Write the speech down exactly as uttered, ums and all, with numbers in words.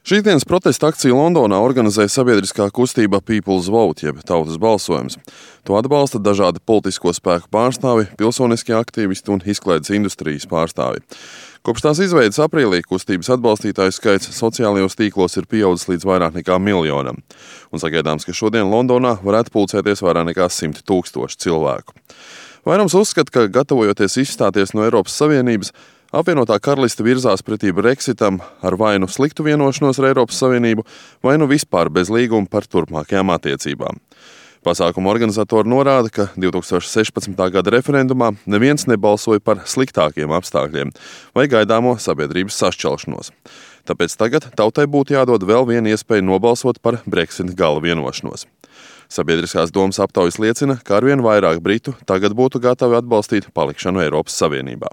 Šīsdienas protesta akciju Londonā organizēja sabiedriskā kustība People's Vote, jeb tautas balsojums. To atbalsta dažādi politisko spēku pārstāvi, pilsoniskie aktīvisti un izklaides industrijas pārstāvi. Kopš tās izveidas aprīlī kustības atbalstītāju skaits sociālajos tīklos ir pieaudzis līdz vairāk nekā miljonam. Un sagaidāms, ka šodien Londonā varētu pulcēties vairāk nekā simt tūkstoši cilvēku. Vairums uzskata, ka gatavojoties izstāties no Eiropas Savienības, apvienotā karaliste virzās pretī Brexitam ar vai nu sliktu vienošanos ar Eiropas Savienību, vai nu vispār bez līguma par turpmākajām attiecībām. Pasākuma organizatori norāda, ka divi tūkstoši sešpadsmitā gada referendumā neviens nebalsoja par sliktākiem apstākļiem vai gaidāmo sabiedrības sašķelšanos. Tāpēc tagad tautai būtu jādod vēl viena iespēja nobalsot par Brexit gala vienošanos. Sabiedriskās domas aptaujas liecina, ka arvien vairāk britu tagad būtu gatavi atbalstīt palikšanu Eiropas Savienībā.